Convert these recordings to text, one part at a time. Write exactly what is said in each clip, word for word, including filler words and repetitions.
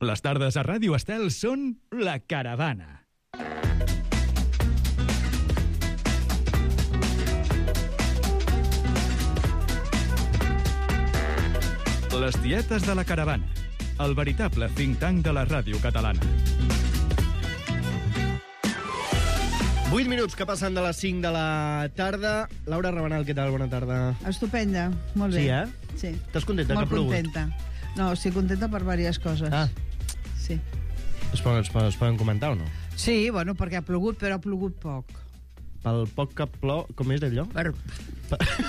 Les tardes a Ràdio Estel són La Caravana. Les tietes de La Caravana, el veritable think tank de la ràdio catalana. vuit minuts que passen de les cinc de la tarda. Laura Rabanal, què tal? Bona tarda. Estupenda, molt bé. Sí, eh? Sí. Estàs contenta que ha plogut? Molt contenta. No, estic contenta per diverses coses. Ah. Sí. Es poden, es, poden, es poden comentar o no? Sí, bueno, perquè ha plogut, però ha plogut poc. Pel poc que plou... Com és d'allò? Per...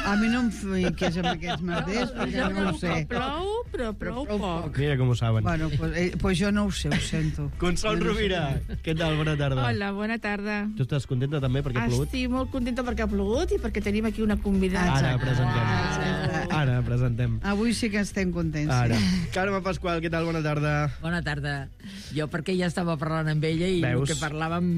A mi no em fiquis amb aquests merders, perquè no ho sé. Plou, però plou poc. Mira com ho saben. Bueno, pues, eh, pues jo no ho sé, ho sento. Consol Jo no Rovira, què tal? Bona tarda. Hola, bona tarda. Tu estàs contenta també perquè ha plogut? Estic molt contenta perquè ha plogut i perquè tenim aquí una convidada. Ara Exacte. presentem. Exacte. Ara presentem. Avui sí que estem contents. Ara. Sí. Carme Pasqual, què tal? Bona tarda. Bona tarda. Jo perquè ja estava parlant amb ella i Veus? el que parlàvem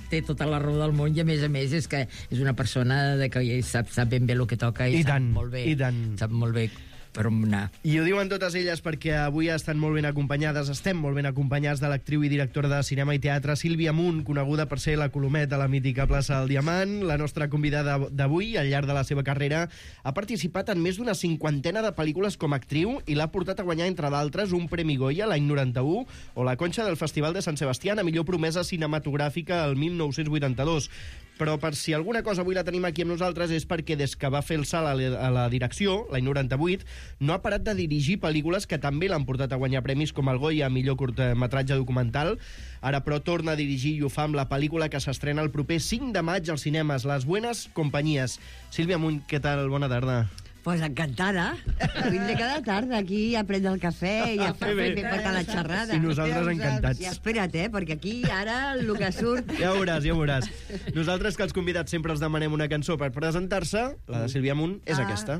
té tota la raó del món i a més a més és que és una persona de que sap, sap ben bé el que toca i, I sap tant, molt bé, i tant. sap molt bé per on anar. I ho diuen totes elles perquè avui estan molt ben acompanyades, estem molt ben acompanyats de l'actriu i directora de cinema i teatre Sílvia Munt, coneguda per ser la Colomet a la mítica plaça del Diamant. La nostra convidada d'avui, al llarg de la seva carrera, ha participat en més d'una cinquantena de pel·lícules com a actriu i l'ha portat a guanyar, entre d'altres, un Premi Goya l'any noranta-u o la Conxa del Festival de Sant Sebastià a millor promesa cinematogràfica el mil nou-cents vuitanta-dos. Però per si alguna cosa avui la tenim aquí amb nosaltres és perquè des que va fer el salt a la, a la direcció, l'any noranta-vuit, no ha parat de dirigir pel·lícules que també l'han portat a guanyar premis com el Goya a millor curtmetratge documental. Ara, però, torna a dirigir i ho fa amb la pel·lícula que s'estrena el proper cinc de maig als cinemes, Les Buenas Compañías. Sílvia Munt, què tal? Bona tarda. Pues encantada. Vindré cada tarda aquí a prendre el cafè i a fer bé. bé per la xerrada. I nosaltres encantats. I espera't, eh, perquè aquí ara el que surt... Ja ho veuràs, ja ho veuràs. Nosaltres, que els convidats sempre els demanem una cançó per presentar-se, la de Sílvia Munt és Ah. aquesta.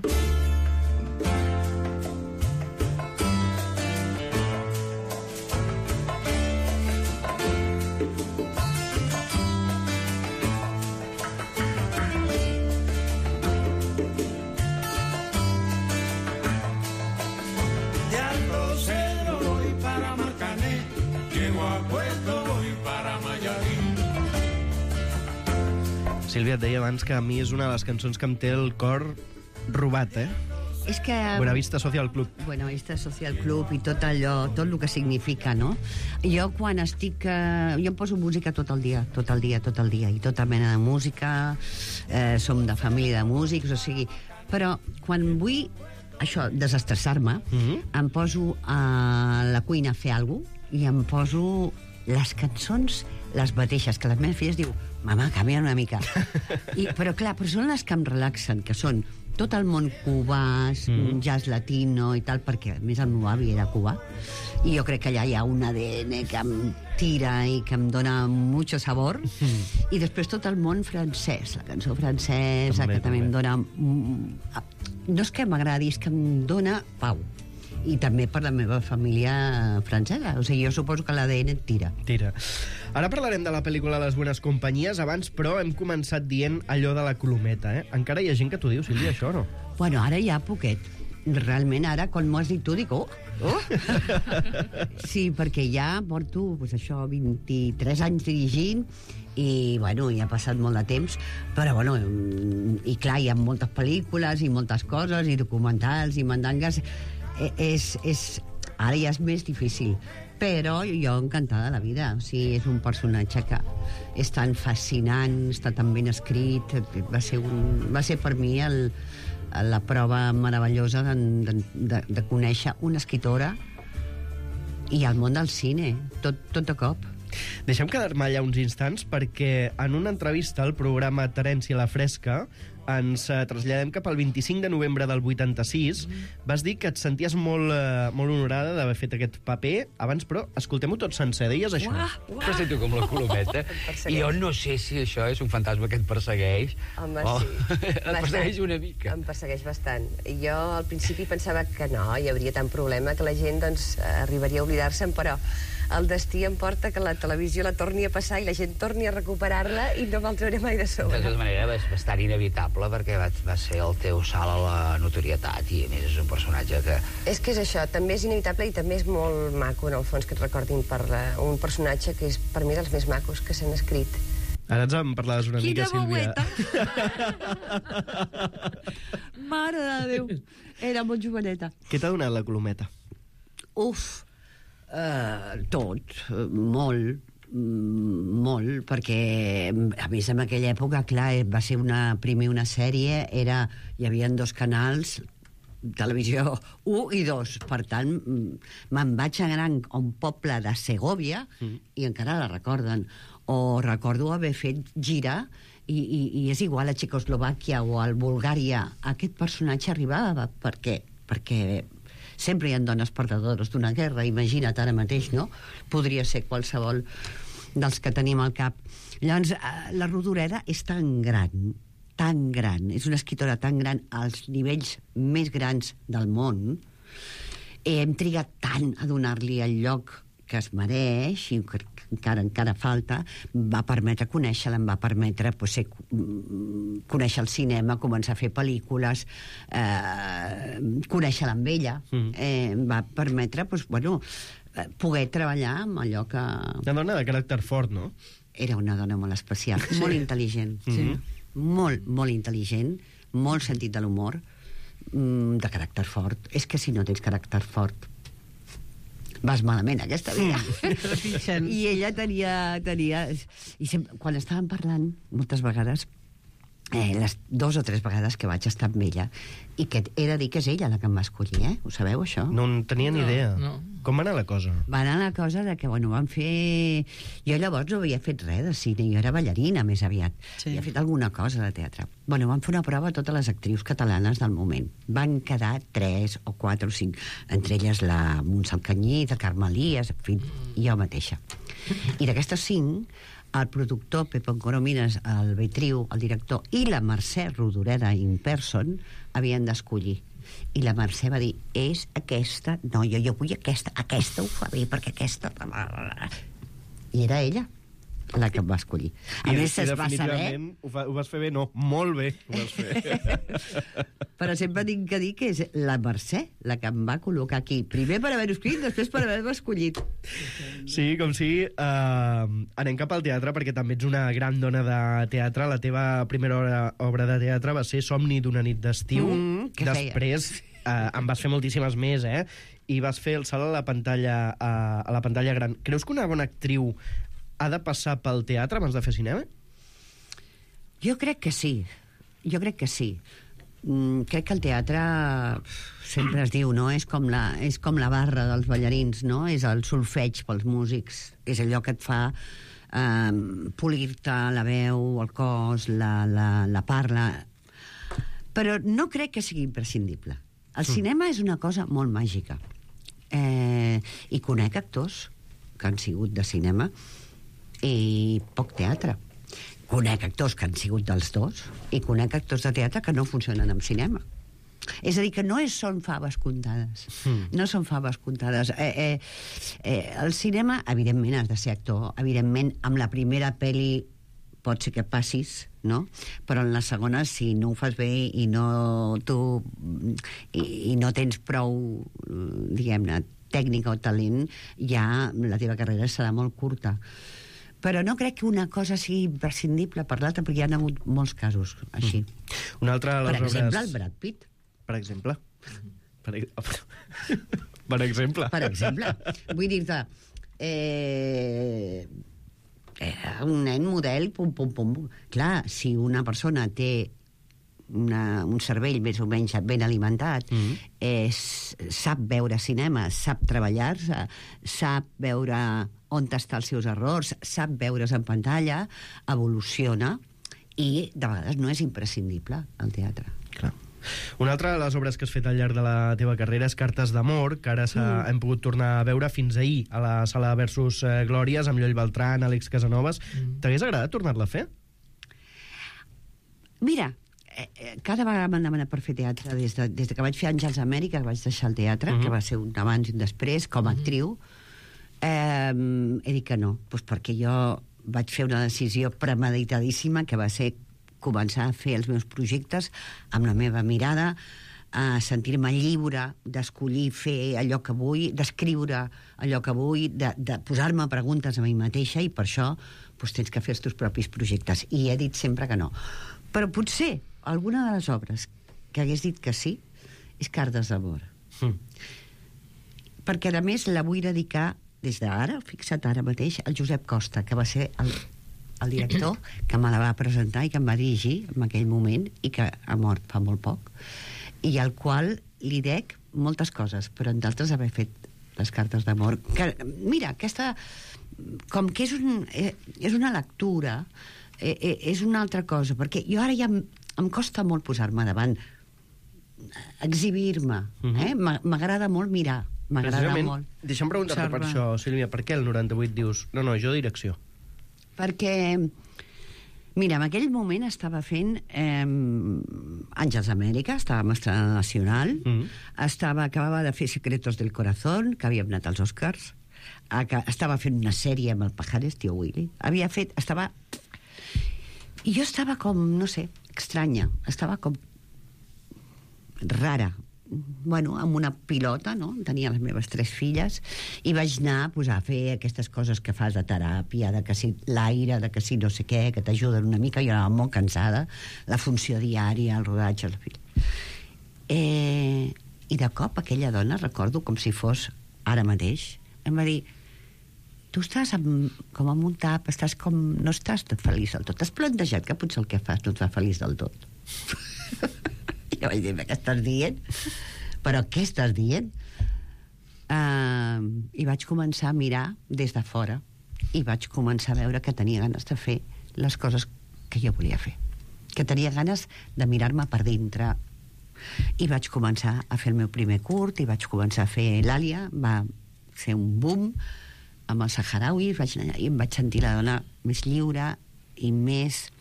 Sílvia, et deia abans que a mi és una de les cançons que em té el cor robat, eh? És que... Buenavista Social Club. Buenavista Social Club i tot allò, tot el que significa, no? Jo quan estic... Eh, jo em poso música tot el dia, tot el dia, tot el dia, i tota mena de música, eh, som de família de músics, o sigui... Però quan vull, això, desestressar-me, Mhm. em poso a la cuina a fer alguna cosa i em poso les cançons les mateixes, que les meves filles diu mama, canvia una mica. I, però clar, però són les que em relaxen, que són tot el món cubà, mm. jazz latino i tal, perquè a més el meu avi era cubà i jo crec que allà hi ha un A D N que em tira i que em dona mucho sabor, mm. i després tot el món francès, la cançó francesa, també, que també, també em dona... Mm, no és que m'agradi, és que em dona pau. I també per la meva família francesa. O sigui, jo suposo que l'A D N et tira. Tira. Ara parlarem de la pel·lícula Les Buenas Compañías. Abans, però, hem començat dient allò de la colometa, eh? Encara hi ha gent que t'ho diu, Sílvia, això, no? Bueno, ara ja poquet. Realment, ara, quan m'ho has dit tu, dic, oh, oh. Sí, perquè ja porto, pues, això, vint-i-tres anys dirigint i, bueno, ja ha passat molt de temps, però, bueno, i clar, hi ha moltes pel·lícules i moltes coses, i documentals, i mandangues. És, és, ara ja és més difícil, però jo encantada de la vida. O sigui, és un personatge que és tan fascinant, està tan ben escrit, va ser, un, va ser per mi el, la prova meravellosa de, de, de, de conèixer una escritora i el món del cine, tot, tot de cop. Deixem quedar-me allà uns instants perquè en una entrevista al programa Terència la Fresca ens eh, traslladem cap al vint-i-cinc de novembre del vuitanta-sis. Vas dir que et senties molt, eh, molt honorada d'haver fet aquest paper. Abans, però, escoltem-ho tot sencer. Deies això? Uah, uah. Em sento com la Colometa. I jo no sé si això és un fantasma que et persegueix. Home, o... sí. et persegueix una mica. Em persegueix bastant. Jo al principi pensava que no, hi hauria tant problema, que la gent doncs, arribaria a oblidar-se'n, però el destí em porta que la televisió la torni a passar i la gent torni a recuperar-la i no me'l trauré mai de sobre. De tota manera, és bastant inevitable memorable perquè va, va ser el teu salt a la notorietat i a més és un personatge que... És que és això, també és inevitable i també és molt maco, en el fons, que et recordin per uh, un personatge que és per mi dels més macos que s'han escrit. Ara ens en parlaves una Quina mica, Sílvia. Mare de Déu, era molt joveneta. Què t'ha donat la Colometa? Uf, uh, tot, uh, molt, mm, molt, perquè a més en aquella època, clar, va ser una, primer una sèrie, era, hi havia dos canals, televisió un i dos, per tant me'n vaig anar a un poble de Segòvia mm. i encara la recorden, o recordo haver fet gira i, i, i és igual a Txecoslovàquia o a Bulgària, aquest personatge arribava, per què? Perquè sempre hi ha dones perdedores d'una guerra, imagina't ara mateix, no? Podria ser qualsevol dels que tenim al cap. Llavors, la Rodoreda és tan gran, tan gran, és una escriptora tan gran als nivells més grans del món. Hem trigat tant a donar-li el lloc que es mereix, i que encara encara falta, va permetre conèixer-la, em va permetre pues, ser, conèixer el cinema, començar a fer pel·lícules, eh, conèixer-la amb ella, mm. eh, em va permetre pues, bueno, poder treballar amb allò que... Una dona de caràcter fort, no? Era una dona molt especial, sí. Molt intel·ligent, sí. molt, molt intel·ligent, molt sentit de l'humor, de caràcter fort. És que si no tens caràcter fort vas malament aquesta vida. Mm. I ella tenia... tenia i sempre, quan estàvem parlant, moltes vegades, eh, les dos o tres vegades que vaig estar amb ella, i que he de dir que és ella la que em va escollir, eh? Ho sabeu, això? No en tenia ni No, idea. no. Com va anar la cosa? Va anar la cosa de que, bueno, van fer... Jo llavors no havia fet res de cine, jo era ballarina més aviat. Sí. Havia fet alguna cosa de teatre. Bueno, van fer una prova a totes les actrius catalanes del moment. Van quedar tres o quatre o cinc, entre elles la Montsant Canyí, la Carme Elias, en fi, i jo mateixa. I d'aquestes cinc, el productor Pepe Coromines, el Betriu, el director, i la Mercè Rodoreda in person havien d'escollir. I la Mercè va dir, és aquesta, no, jo, jo vull aquesta, aquesta ho fa bé, perquè aquesta... I era ella la que em va escollir. A I, més, i es va saber... definitivament ho, fa, ho vas fer bé, no, molt bé ho vas fer. Però sempre tinc que dir que és la Mercè la que em va col·locar aquí. Primer per haver-ho escrit, després per haver-ho escollit. Sí, com si... Uh, anem cap al teatre, perquè també ets una gran dona de teatre. La teva primera obra, obra de teatre va ser Somni d'una nit d'estiu. Mm, què Després uh, en vas fer moltíssimes més, eh? I vas fer el salt a la pantalla, uh, a la pantalla gran. Creus que una bona actriu ha de passar pel teatre abans de fer cinema? Jo crec que sí. Jo crec que sí. Mm, crec que el teatre sempre es diu, no? És com la, és com la barra dels ballarins, no? És el solfeig pels músics. És allò que et fa eh, polir-te la veu, el cos, la, la, la parla. Però no crec que sigui imprescindible. El mm. cinema és una cosa molt màgica. Eh, I conec actors que han sigut de cinema i poc teatre. Conec actors que han sigut dels dos i conec actors de teatre que no funcionen en cinema. És a dir, que no és, són faves comptades. Mm. No són faves comptades. Eh, eh, eh, el cinema, evidentment, has de ser actor. Evidentment, amb la primera pel·li pot ser que passis, no? Però en la segona, si no ho fas bé i no, tu, i, i no tens prou, diguem-ne, tècnica o talent, ja la teva carrera serà molt curta. Però no crec que una cosa sigui imprescindible per l'altra, perquè hi ha hagut molts casos així. Mm. Una altra de per les exemple, obres... el Brad Pitt. Per exemple? Per, per exemple? Per exemple. Vull dir-te... Eh, un nen model, pum, pum, pum. Clar, si una persona té una, un cervell més o menys ben alimentat, mm-hmm. eh, sap veure cinema, sap treballar-se, sap veure on està els seus errors, sap veure's en pantalla, evoluciona, i de vegades no és imprescindible el teatre. Clar. Una altra de les obres que has fet al llarg de la teva carrera és Cartes d'amor, que ara mm. hem pogut tornar a veure fins ahir a la sala Versus eh, Glòries, amb Lloll Beltran, Àlex Casanovas. Mm. T'hagués agradat tornar-la a fer? Mira, eh, cada vegada m'han demanat per fer teatre des de, des de que vaig fer Àngels Amèrica, que vaig deixar el teatre, mm-hmm. que va ser un abans i un després, com a mm-hmm. actriu. Eh, he dit que no, doncs perquè jo vaig fer una decisió premeditadíssima que va ser començar a fer els meus projectes amb la meva mirada, a sentir-me lliure d'escollir fer allò que vull, d'escriure allò que vull, de, de posar-me preguntes a mi mateixa, i per això doncs, tens que fer els teus propis projectes. I he dit sempre que no. Però potser alguna de les obres que hagués dit que sí és Cartes d'amor. Mm. Perquè, a més, la vull dedicar des d'ara, fixa't ara mateix, al Josep Costa, que va ser el, el director que me la va presentar i que em va dirigir en aquell moment i que ha mort fa molt poc, i al qual li dec moltes coses, però en d'altres haver fet les Cartes d'amor. Que, mira, aquesta, com que és, un, eh, és una lectura, eh, eh, és una altra cosa, perquè jo ara ja em, em costa molt posar-me davant, exhibir-me, eh? M'agrada molt mirar, m'agrada molt. Deixa'm preguntar-te per això, Sílvia, per què el noranta-vuit dius, no, no, jo direcció? Perquè... Mira, en aquell moment estava fent eh, Àngels d'Amèrica, estava estrenant Nacional, mm. estava, acabava de fer Secretos del Corazón, que havíem anat als Oscars, estava fent una sèrie amb el Pajares, Tio Willy, havia fet, estava... I jo estava com, no sé, estranya, estava com rara, bueno, amb una pilota, no? Tenia les meves tres filles, i vaig anar pues, a fer aquestes coses que fas de teràpia, de que si l'aire, de que si no sé què, que t'ajuden una mica. Jo anava molt cansada, la funció diària, el rodatge, la filla. Eh, I de cop aquella dona, recordo com si fos ara mateix, em va dir: tu estàs amb, com amb un tap, estàs com, no estàs feliç del tot. T'has plantejat que potser el que fas no et fa feliç del tot? Jo vaig dir, què estàs dient? Però què estàs dient? Uh, I vaig començar a mirar des de fora i vaig començar a veure que tenia ganes de fer les coses que jo volia fer, que tenia ganes de mirar-me per dintre, i vaig començar a fer el meu primer curt, i vaig començar a fer l'Àlia, va ser un boom amb els saharauis, vaig anar, i em vaig sentir la dona més lliure i més,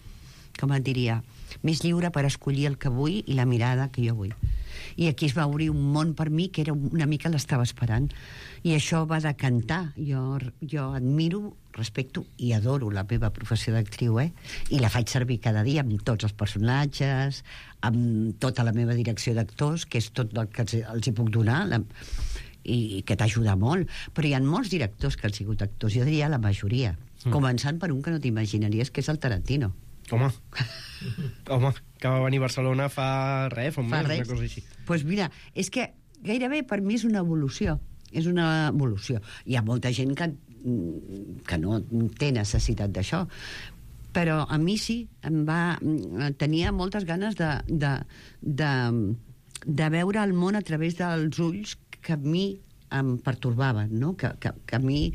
com et diria, més lliure per escollir el que vull i la mirada que jo vull. I aquí es va obrir un món per mi que era una mica l'estava esperant, i això va decantar. Jo, jo admiro, respecto i adoro la meva professió d'actriu, eh? I la faig servir cada dia amb tots els personatges, amb tota la meva direcció d'actors, que és tot el que els, els hi puc donar, la, i, i que t'ajuda molt. Però hi ha molts directors que han sigut actors, jo diria la majoria, mm. començant per un que no t'imaginaries, que és el Tarantino. Home, home, que va venir a Barcelona fa res, fa un mes, una cosa així. Doncs pues mira, és que gairebé per mi és una evolució, és una evolució. Hi ha molta gent que, que no té necessitat d'això, però a mi sí, em va, tenia moltes ganes de, de, de, de veure el món a través dels ulls que a mi em pertorbaven, no? que, que, que a mi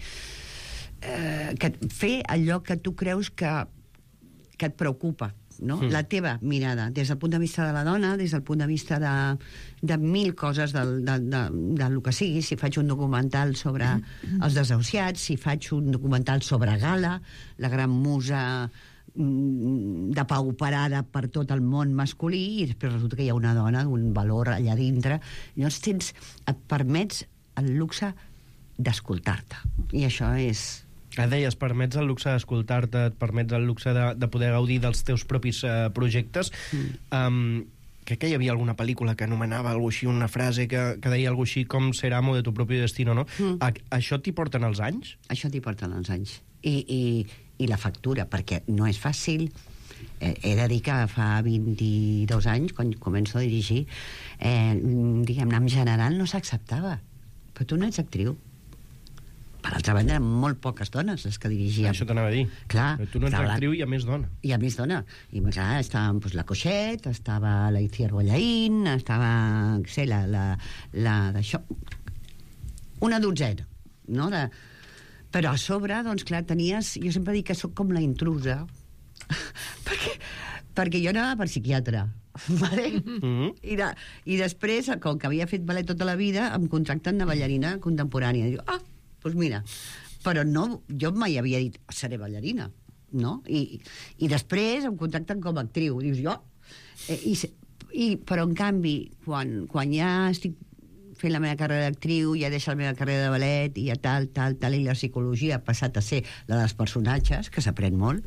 eh, que fer allò que tu creus que que et preocupa, no? Mm. La teva mirada, des del punt de vista de la dona, des del punt de vista de, de mil coses del, de, de, de lo que sigui. Si faig un documental sobre mm. els desahuciats, si faig un documental sobre Gala, la gran musa mm, de pauperada per tot el món masculí, i després resulta que hi ha una dona d'un valor allà dintre. Llavors tens, et permets el luxe d'escoltar-te. I això és... Ah, deies, permets el luxe d'escoltar-te, et permets el luxe de, de poder gaudir dels teus propis uh, projectes. Mm. Um, crec que hi havia alguna pel·lícula que anomenava alguna així, una frase que, que deia alguna així, com ser amo de tu propi destino, no? Mm. A, això t'hi porten els anys? Això t'hi porten els anys. I, i, i la factura, perquè no és fàcil. Eh, he de dir que fa vint-i-dos anys, quan començo a dirigir, eh, diguem-ne, en general no s'acceptava. Però tu no ets actriu. Per altra banda, eren molt poques dones les que dirigien. Això t'anava a dir. Clar. Però tu no ets actriu, hi ha més dona. Hi ha més dona. I clar, estava pues, la Coixet, estava la Itziar Bollaín, estava, sé, la, la, la d'això... Una dotzena, no? De... Però a sobre, doncs clar, tenies... Jo sempre dic que sóc com la intrusa, perquè, perquè jo anava per psiquiatre, vale? Mm-hmm. I, de, I després, com que havia fet ballet tota la vida, em contracten de ballarina contemporània. I dic, ah, doncs mira, però no, jo mai havia dit seré ballarina, no? I, i després em contacten com a actriu, dius jo, eh, i, i, però en canvi quan, quan ja estic fent la meva carrera d'actriu, ja deixo la meva carrera de ballet i ja tal, tal, tal, i la psicologia ha passat a ser la dels personatges, que s'aprèn molt,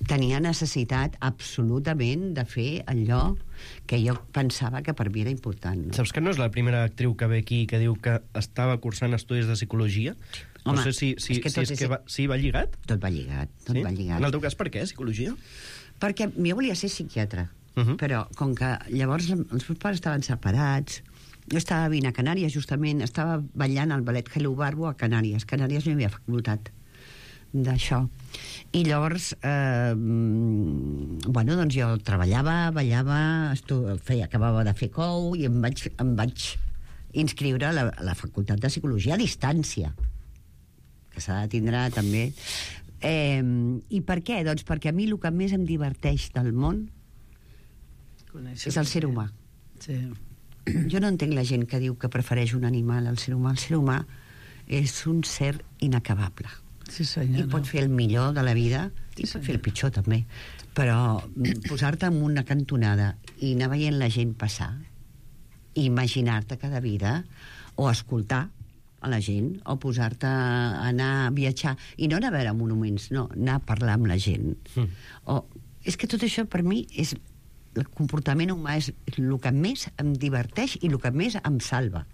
tenia necessitat absolutament de fer allò que jo pensava que per mi era important. No? Saps que no és la primera actriu que ve aquí que diu que estava cursant estudis de psicologia? Home, no sé si, si, és que si, és tot és- que va, sí, va lligat? Tot va lligat, tot Sí? va lligat. En el teu cas, per què, psicologia? Perquè jo volia ser psiquiatre, Uh -huh. però com que llavors els meus pares estaven separats, jo estava vivint a Canàries, justament, estava ballant al ballet Hello Barbo a Canàries. Canàries no hi havia facultat d'això. I llavors, eh, bueno, doncs jo treballava, ballava, estu... feia, acabava de fer cou i em vaig, em vaig inscriure a la, a la facultat de psicologia a distància, que s'ha de tindre també. Eh, I per què? Doncs perquè a mi el que més em diverteix del món Conèixer és el ser humà. Sí. Jo no entenc la gent que diu que prefereix un animal al ser humà. El ser humà és un ser inacabable. Sí, senyora. I pot fer el millor de la vida i Sí, pot fer el pitjor també, però posar-te en una cantonada i anar veient la gent passar i imaginar-te cada vida o escoltar a la gent o posar-te a anar a viatjar i no anar a veure monuments, no, anar a parlar amb la gent. Mm. O, és que tot això per mi és el comportament humà és el que més em diverteix i el que més em salva.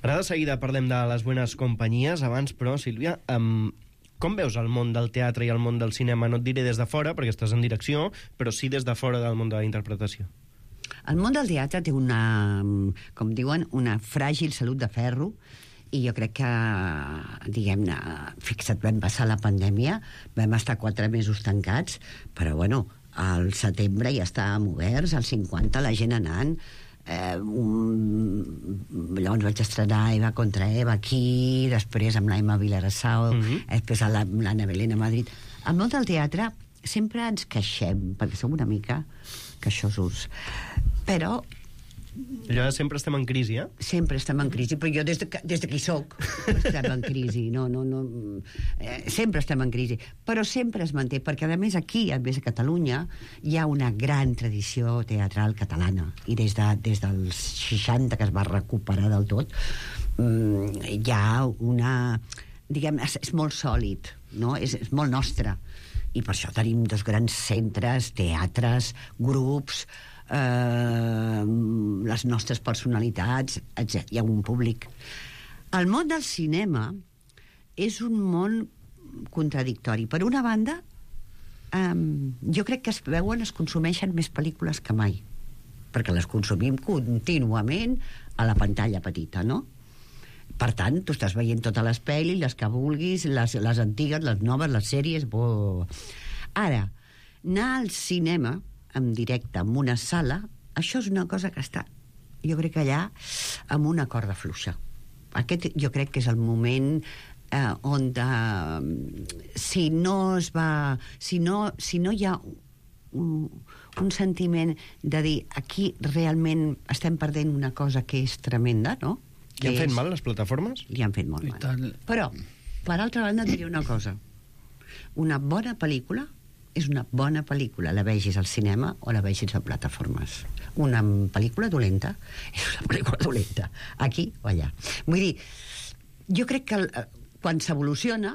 Ara de seguida parlem de les bones companyies. Abans, però, Sílvia, um, com veus el món del teatre i el món del cinema? No et diré des de fora, perquè estàs en direcció, però sí des de fora del món de la interpretació. El món del teatre té una, com diuen, una fràgil salut de ferro, i jo crec que, diguem-ne, fixa't, vam passar la pandèmia, vam estar quatre mesos tancats, però, bueno, al setembre ja estàvem oberts, al cinquanta la gent anant, eh, un... llavors vaig estrenar Eva contra Eva aquí, després amb l'Aima Vilarassau, Mhm. després amb la- amb l'Anna Belén a Madrid. Al món del teatre sempre ens queixem, perquè som una mica queixosos, però Allò de sempre estem en crisi, eh? sempre estem en crisi, però jo des de, que- des de que hi soc estem en crisi, no, no, no, eh, sempre estem en crisi, però sempre es manté, perquè a més aquí, a més a Catalunya, hi ha una gran tradició teatral catalana, i des, de, des dels seixanta que es va recuperar del tot, mm, hi ha una... diguem, és, és molt sòlid, no? és, és molt nostre, i per això tenim dos grans centres, teatres, grups, eh, les nostres personalitats, etcètera. Hi ha un públic. El món del cinema és un món contradictori. Per una banda, eh, jo crec que es veuen, es consumeixen més pel·lícules que mai, perquè les consumim contínuament a la pantalla petita, no? Per tant, tu estàs veient totes les pel·lis, les que vulguis, les, les antigues, les noves, les sèries... Bo... Ara, anar al cinema en directe, en una sala, això és una cosa que està, jo crec que allà, amb una corda fluixa. Aquest jo crec que és el moment eh, on de, si no es va... Si no, si no hi ha un, un sentiment de dir aquí realment estem perdent una cosa que és tremenda, no? Li han Que fet és- mal les plataformes? Li han fet molt I mal. tant. Però, per altra banda, et diré una cosa. Una bona pel·lícula és una bona pel·lícula, la vegis al cinema o la vegis a plataformes. Una pel·lícula dolenta és una pel·lícula dolenta, aquí o allà. Vull dir, jo crec que el, quan s'evoluciona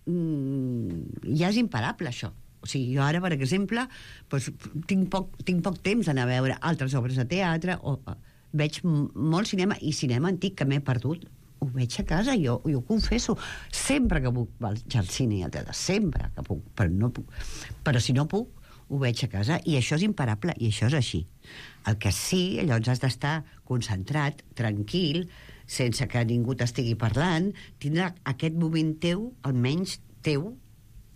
mmm, ja és imparable, això. O sigui, jo ara, per exemple, doncs, tinc, poc, tinc poc temps d'anar a veure altres obres de teatre, o veig m- molt cinema, i cinema antic que m'he perdut, ho veig a casa, jo, jo ho confesso. Sempre que puc vaig al cine i al teatre, sempre que puc, però, no puc. Però si no puc, ho veig a casa, i això és imparable, i això és així. El que sí, llavors has d'estar concentrat, tranquil, sense que ningú t'estigui parlant, tindrà aquest moment teu, almenys teu,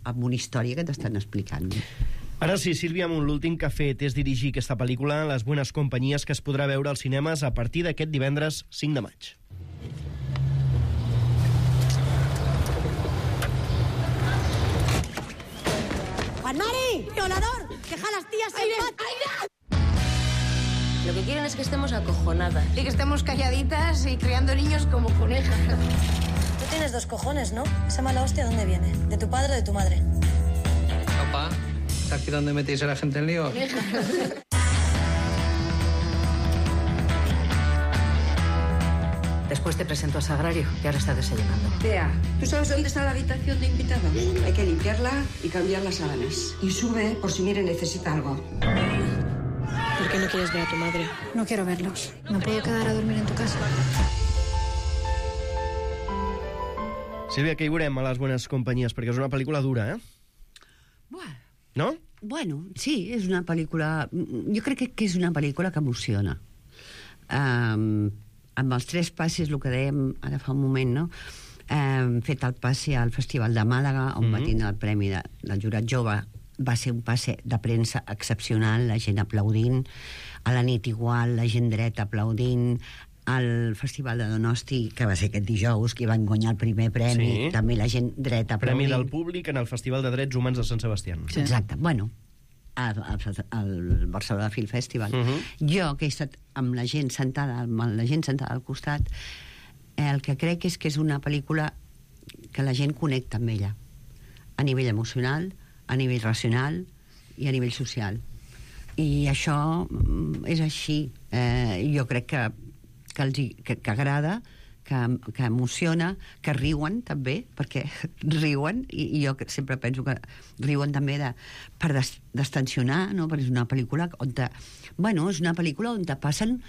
amb una història que t'estan explicant. Ara sí, Sílvia Amunt, l'últim que ha fet és dirigir aquesta pel·lícula, Les bones companyies, que es podrà veure als cinemes a partir d'aquest divendres cinc de maig. ¡Juan Mari! ¡Violador! ¡Deja a las tías en paz! Lo que quieren es que estemos acojonadas. Y que estemos calladitas y criando niños como conejas. Tú tienes dos cojones, ¿no? Esa mala hostia, ¿dónde viene? ¿De tu padre o de tu madre? Papá, ¿está aquí donde metéis a la gente en lío? Después te presento a Sagrario, que ahora está desayunando. Tea, ¿tú sabes dónde está la habitación de invitados? Hay que limpiarla y cambiar las sábanas. Y sube por si Mire necesita algo. ¿Por qué no quieres ver a tu madre? No quiero verlos. ¿Me puedo quedar a dormir en tu casa? Sílvia, què hi veurem a Les bones companyies? Perquè és una pel·lícula dura, eh? Bueno. No? Bueno, sí, és una pel·lícula... Jo crec que, que és una pel·lícula que emociona. Um, amb els tres passes, el que dèiem ara fa un moment, no? Hem fet el passe al Festival de Màlaga, on mm-hmm. va tindre el premi de, del jurat jove. Va ser un passe de premsa excepcional, la gent aplaudint, a la nit igual, la gent dreta aplaudint, al Festival de Donosti, que va ser aquest dijous, que van guanyar el primer premi, sí. També la gent dreta aplaudint. Premi del públic en el Festival de Drets Humans de Sant Sebastià. Sí. Exacte, bueno, al, al Barcelona Film Festival. Uh-huh. Jo, que he estat amb la gent sentada, amb la gent sentada al costat, el que crec és que és una pel·lícula que la gent connecta amb ella, a nivell emocional, a nivell racional i a nivell social. I això és així. Eh, jo crec que que, els, que, que agrada, que, que emociona, que riuen també, perquè riuen, i, i jo sempre penso que riuen també de, per des, destensionar, no? Perquè és una pel·lícula on te, bueno, és una pel·lícula on te passen...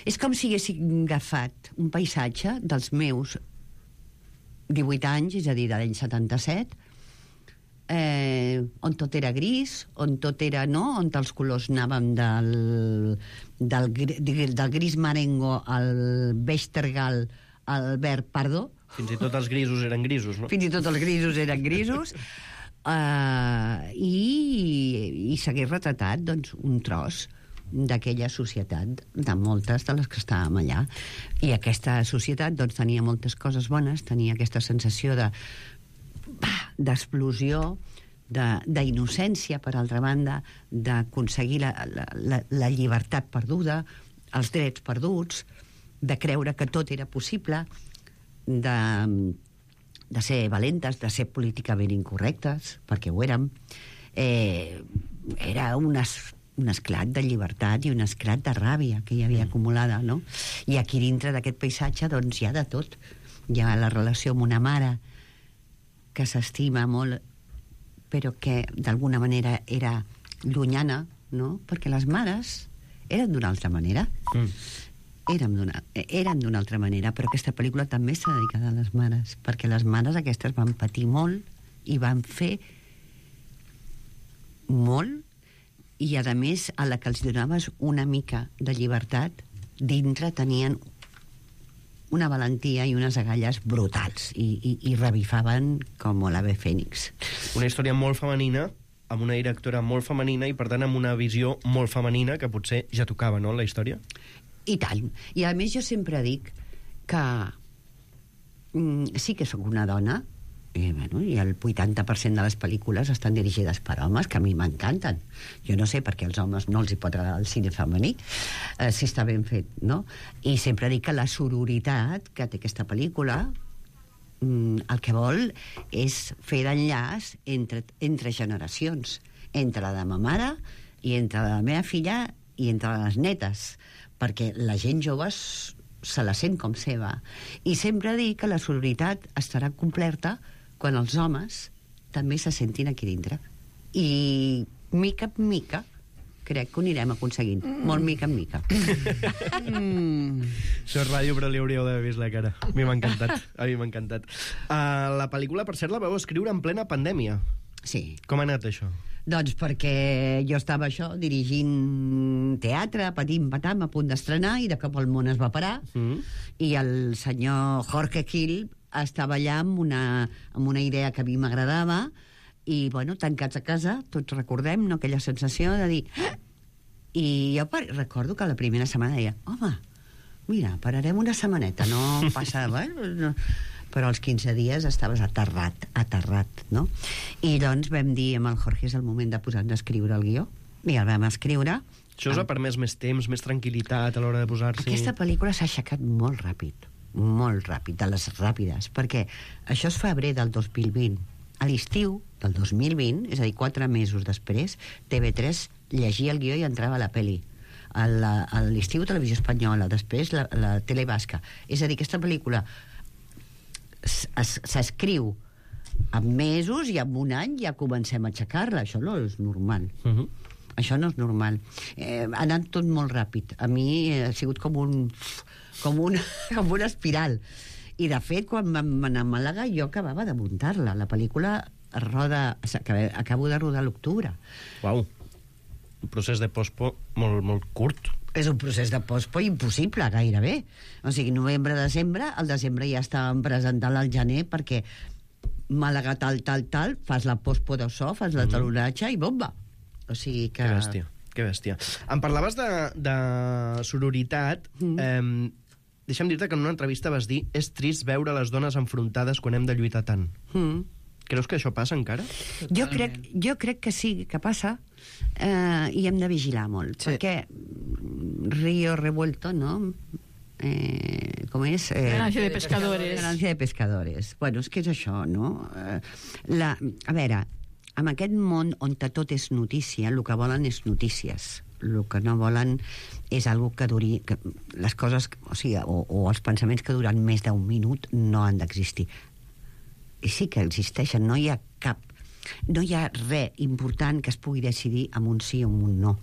És com si haguessin agafat un paisatge dels meus divuit anys, és a dir, de l'any setanta-set, eh, on tot era gris, on tot era, no?, on els colors anàvem del, del, del gris marengo al beix tergal al verd pardó. Fins i tot els grisos eren grisos, no? Fins i tot els grisos eren grisos. Uh, i, i s'hagués retratat, doncs, un tros d'aquella societat, de moltes de les que estàvem allà. I aquesta societat, doncs, tenia moltes coses bones, tenia aquesta sensació de d'explosió, d'innocència, per altra banda, d'aconseguir la, la, la, la llibertat perduda, els drets perduts, de creure que tot era possible, de, de ser valentes, de ser políticament incorrectes, perquè ho érem. Eh, era un, es, un esclat de llibertat i un esclat de ràbia que hi havia acumulada, no? I aquí dintre d'aquest paisatge, doncs, hi ha de tot. Hi ha la relació amb una mare que s'estima molt, però que d'alguna manera era llunyana, no? Perquè les mares eren d'una altra manera. Mm. Érem d'una, eren d'una altra manera, però aquesta pel·lícula també està dedicada a les mares, perquè les mares aquestes van patir molt i van fer molt, i a més, a la que els donaves una mica de llibertat, dintre tenien una valentia i unes agalles brutals, i, i, i revifaven com l'ave fènix. Una història molt femenina, amb una directora molt femenina i, per tant, amb una visió molt femenina que potser ja tocava, no?, la història? I tant. I a més jo sempre dic que mm, sí que sóc una dona, i, bueno, i el vuitanta per cent de les pel·lícules estan dirigides per homes, que a mi m'encanten. Jo no sé per què als homes no els hi pot agradar el cine femení, eh, si està ben fet, no? I sempre dic que la sororitat que té aquesta pel·lícula mm, el que vol és fer d'enllaç entre, entre generacions, entre la de ma mare i entre la meva filla i entre les netes, perquè la gent jove se la sent com seva. I sempre dic que la sororitat estarà completa quan els homes també se sentin aquí dintre. I mica en mica crec que ho anirem aconseguint. Mm. Molt mica en mica. Mm. Això és ràdio, però li hauríeu d'haver vist la cara. A mi m'ha encantat. A mi m'ha encantat. Uh, la pel·lícula, per cert, la vau escriure en plena pandèmia. Sí. Com ha anat això? Doncs perquè jo estava això, dirigint teatre, patim, patam, a punt d'estrenar, i de cop el món es va parar, mm. i el senyor Jorge Gil estava allà amb una, amb una idea que a mi m'agradava, i, bueno, tancats a casa, tots recordem, no?, aquella sensació de dir... Ah! I jo recordo que la primera setmana deia, home, mira, pararem una setmaneta, no passa... Bueno, no. Però als quinze dies estaves aterrat, aterrat, no? I doncs vam dir amb el Jorge, és el moment de posar-nos a escriure el guió, i el vam escriure. Això us ha permès més temps, més tranquil·litat a l'hora de posar-s'hi? Aquesta pel·lícula s'ha aixecat molt ràpid, molt ràpid, de les ràpides, perquè això és febrer del dos mil vint. A l'estiu del dos mil vint, és a dir, quatre mesos després, T V tres llegia el guió i entrava a la pel·li. a la- a l'estiu Televisió Espanyola, després la, la tele basca. És a dir, aquesta pel·lícula s- es- s'escriu en mesos i en un any ja comencem a aixecar-la. Això no és normal. Uh-huh. Això no és normal. Eh, ha anat tot molt ràpid. A mi ha sigut com un... com una, com una espiral. I, de fet, quan vam anar a Màlaga, jo acabava de muntar-la. La pel·lícula es roda... s'acaba- Acabo de rodar a l'octubre. Uau. Un procés de pospo molt, molt curt. És un procés de pospo impossible, gairebé. O sigui, novembre-desembre, al desembre ja estàvem presentant al gener, perquè Màlaga tal, tal, tal, fas la pospo de so, fas la talonatge i bomba. O sigui que... Que bèstia, que bèstia. Em parlaves de, de sororitat. Mm. Eh, deixa'm dir-te que en una entrevista vas dir és trist veure les dones enfrontades quan hem de lluitar tant. Mm. Creus que això passa encara? Jo crec, jo crec que sí, que passa, eh, i hem de vigilar molt, sí. Perquè Río Revuelto, no? Eh, com és? Eh, Ganancia de pescadores. Ganancia de pescadores. Bueno, és que és això, no? Eh, la, a veure, en aquest món on tot és notícia, el que volen és notícies. El que no volen és algo que duri... Que les coses, o sigui, o, o els pensaments que duren més d'un minut no han d'existir. I sí que existeixen, no hi ha cap... No hi ha res important que es pugui decidir amb un sí o amb un no.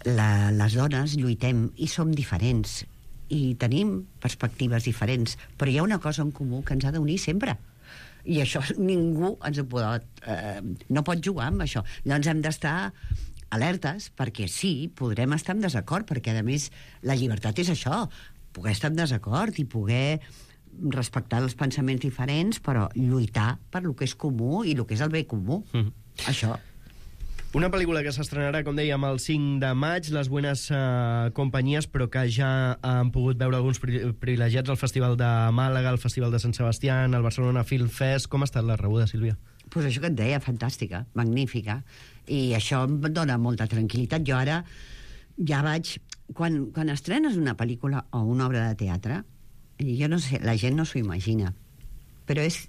La, les dones lluitem i som diferents i tenim perspectives diferents, però hi ha una cosa en comú que ens ha d'unir sempre. I això ningú ens ho pot... Eh, no pot jugar amb això. Llavors hem d'estar alertes, perquè sí, podrem estar en desacord, perquè a més la llibertat és això, poder estar en desacord i poder respectar els pensaments diferents, però lluitar per lo que és comú i lo que és el bé comú. Mm. Això. Una pel·lícula que s'estrenarà, com dèiem, el cinc de maig, Les buenas uh, companyies, però que ja han pogut veure alguns pri privilegiats al Festival de Màlaga, al Festival de Sant Sebastià, al Barcelona Film Fest. Com ha estat la rebuda, Sílvia? Pues això que et deia, fantàstica, magnífica. I això em dona molta tranquil·litat. Jo ara ja vaig... Quan, quan estrenes una pel·lícula o una obra de teatre, jo no sé, la gent no s'ho imagina, però és